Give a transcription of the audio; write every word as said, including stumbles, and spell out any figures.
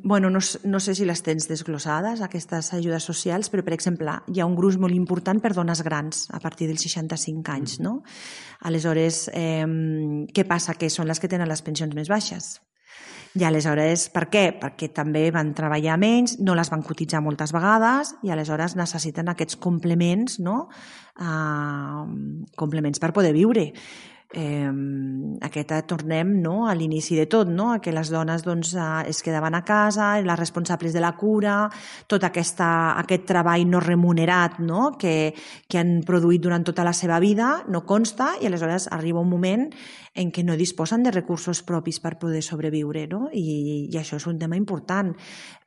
bueno, no, no sé si les tens desglossades, aquestes ajudes socials, però, per exemple, hi ha un gruix molt important per dones grans, a partir dels seixanta-cinc anys, no? Aleshores, eh, què passa? Que són les que tenen les pensions més baixes. I aleshores, per què? Perquè també van treballar menys, no les van cotitzar moltes vegades i aleshores necessiten aquests complements, no? Uh, complements per poder viure. Eh, aquesta tornem, no? A l'inici de tot, no? Que les dones doncs, eh, es quedaven a casa, les responsables de la cura, tot aquesta, aquest treball no remunerat, no? Que, que han produït durant tota la seva vida no consta i aleshores arriba un moment en què no disposen de recursos propis per poder sobreviure, no? I, i això és un tema important.